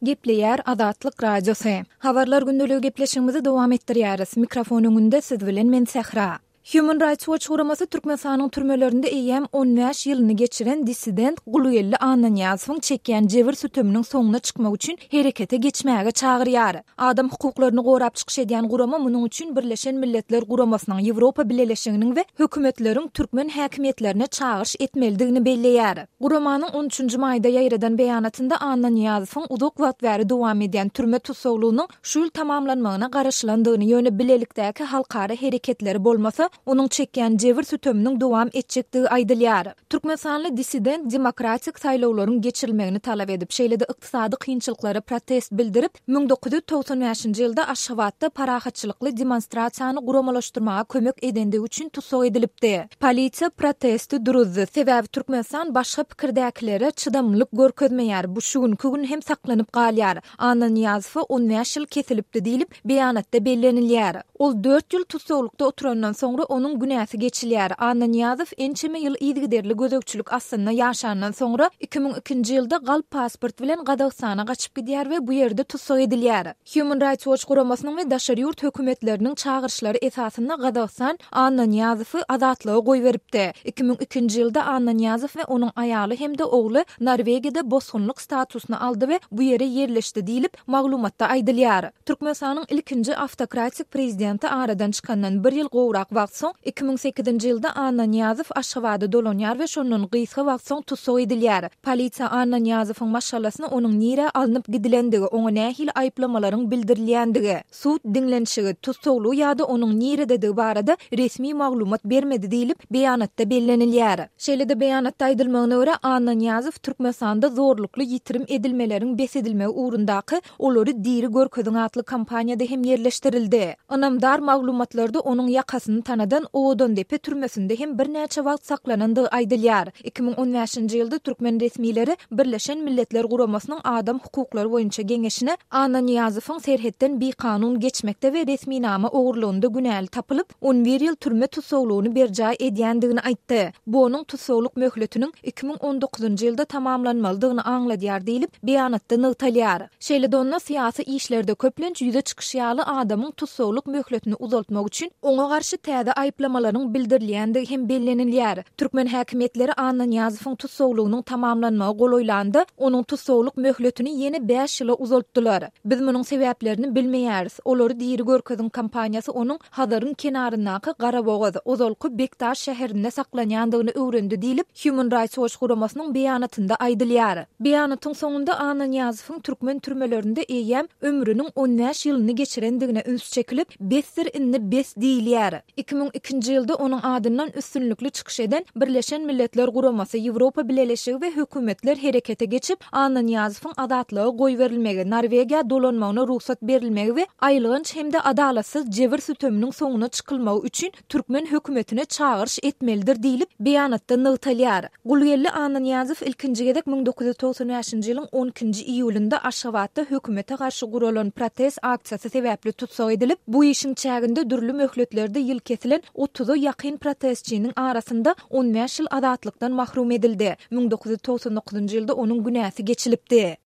Gepleýär Azatlyk Radiosy. Habarlar gündeligi gepleşigimizi dowam etdirýäris. Mikrofon öňünde siz bilen men Sähra. Human Rights Watch guramasy Türkmenistanyň türmelerinde eýýäm 15 ýylyny geçiren dissident Gulgeldi Annanyýazowyň çekýän jebir-süteminiň soňuna çykmak üçin herekete geçmäge çagyrýar. Adam hukuklaryny gorap çykyş edýän gurama munuň üçin Birleşen Milletler Guramasynyň, Ýewropa Bileleşiginiň we hökümetleriň türkmen häkimiýetlerine çagyryş etmelidigini belleýär. Guramanyň on üçünji maýda ýaýradan beýanatynda Annanyýazowyň uzak wagt bäri dowam edýän türme tussaglygynyň şu ýyl tamamlanmagyna garaşylandygyny, ýöne bilelikdäki halkara hereketleri bolmasa, onuň çekýän jebir-süteminiň dowam etjekdigi aýdylýar. Türkmenistanly dissident demokratik saýlawlaryň geçirilmegini talap edip, şeýle-de ykdysady kynçylyklara protest bildirip, 1995-nji ýylda Aşgabatda parahatçylykly demonstrasiýany guramalaşdyrmaga kömek edendigi üçin tussag edilipdi. Polisiýa protesti duruzdy, sebäbi Türkmenistan başga pikirdäkilere çydamlylyk görkezmeýär, bu şu günki gün hem saklanyp galýar. Annanyýazowa on bäş ýyl kesilipdi diýlip, beýanatda bellenilýär. Ol dört ýyl tussaglykda oturandan soňra onuň günäsi geçilýär. Annanyýazow ençeme ýyl yzygiderli gözegçilik astynda ýaşandan soňra, 2002-nji ýylda galp pasport bilen Gazagystana gaçyp gidýär we bu ýerde tussag edilýär. Human Rights Watch guramasynyň we daşary ýurt hökümetleriniň çagyryşlary esasynda Gazagystan Annanyýazowy azatlyga goýberipdi. 2002-nji ýylda Annanyýazow we onuň aýaly hem-de ogly Norwegiýada bosgunlyk statusyny aldy we bu ýere ýerleşdi diýlip, maglumatda aýdylýar. Türkmenistanyň ilkinji awtokratik prezidenti aradan çykandan bir ýyl gowrak wagt soň, 2008-nji ýylda Annanyýazow Aşgabada dolanýar we şondan gysga wagt soň tussag edilýär. Polisiýa Annanyýazowyň maşgalasyna onuň nirä alnyp gidilendigi, oňa nähili aýyplamalaryň bildirilýändigi, sud diňlenişigi, tussaglygy ýa-da onuň nirededigi barada resmi maglumat bermedi diýlip, beýanatda bellenilýär. Şeýle-de beýanatda aýdylmagyna görä, Annanyýazow Türkmenistanda zorlukly ýitirim edilmeleriň bes edilmegi ugrundaky Olary diri görkeziň atly kampaniýada hem ýerleşdirildi. Ynamdar maglumatlarda onuň ýakasyny tanadan Owadandepe türmesinde hem birnäçe wagt saklanandygy aýdylýar. 2015-nji ýylda türkmen resmileri Birleşen Milletler Guramasynyň Adam hukuklary boýunça geňeşine Annanyýazowyň serhetden bikanun geçmekde we resminama ogurlygynda günäli tapylyp, on bir ýyl türme tussaglygyny berjaý edýändigini aýtdy. Bu onuň tussaglyk möhletiniň 2019-njy ýylda tamamlanmalydygyny aňladýar diýlip, beýanatda nygtalýar. Şeýle-de onda syýasy işlerde köplenç ýüze çykyşy ýaly adamyň tussaglyk möhletini uzaltmak üçin oňa garşy täze aýyplamalaryň bildirilýändigi hem bellenilýär. Türkmen häkimiýetleri Annanyýazowyň tussaglygynyň tamamlanmagy golaýlanda, onuň tussaglyk möhletini ýene bäş ýyla uzaltdylar. Biz munuň sebäplerini bilmeýäris. Olary diri görkeziň kampaniýasy onuň Hazaryň kenaryndaky Garabogaz, ozalky Bekdaş şäherinde saklanýandygyny öwrendi diýlip, Human Rights Watch guramasynyň beýanatynda aýdylýar. Beýanatyň soňunda Annanyýazowyň türkmen türmelerinde eýýäm ömrüniň on bäş ýylyny geçirendigine üns çekilip, Besdir indi bes diýilýär. 2002-nji ýylda onuň adyndan üstünlikli çykyş eden Birleşen Milletler Guramasy, Ýewropa Bileleşigi we hökümetler herekete geçip, Annanyýazowyň azatlyga goýberilmegi, Norwegiýa dolanmagyna rugsat berilmegi we aýylganç hem-de adalatsyz jebir-süteminiň soňuna çykylmagy üçin türkmen hökümetine çagyryş etmelidir diýlip, beýanatda nygtalýar. Gulgeldi Annanyýazow ilkinji gezek 1995-nji ýylyň on ikinji iýulynda Aşgabatda hökümete garşy guralan protest aksiýasy sebäpli tussag edilip, bu işiň çäginde dürli möhletlerde ýyl kesilen otuza ýakyn protestçiniň arasynda on bäş ýyl azatlykdan mahrum edildi. 1999-njy ýylda onuň günäsi geçilipdi.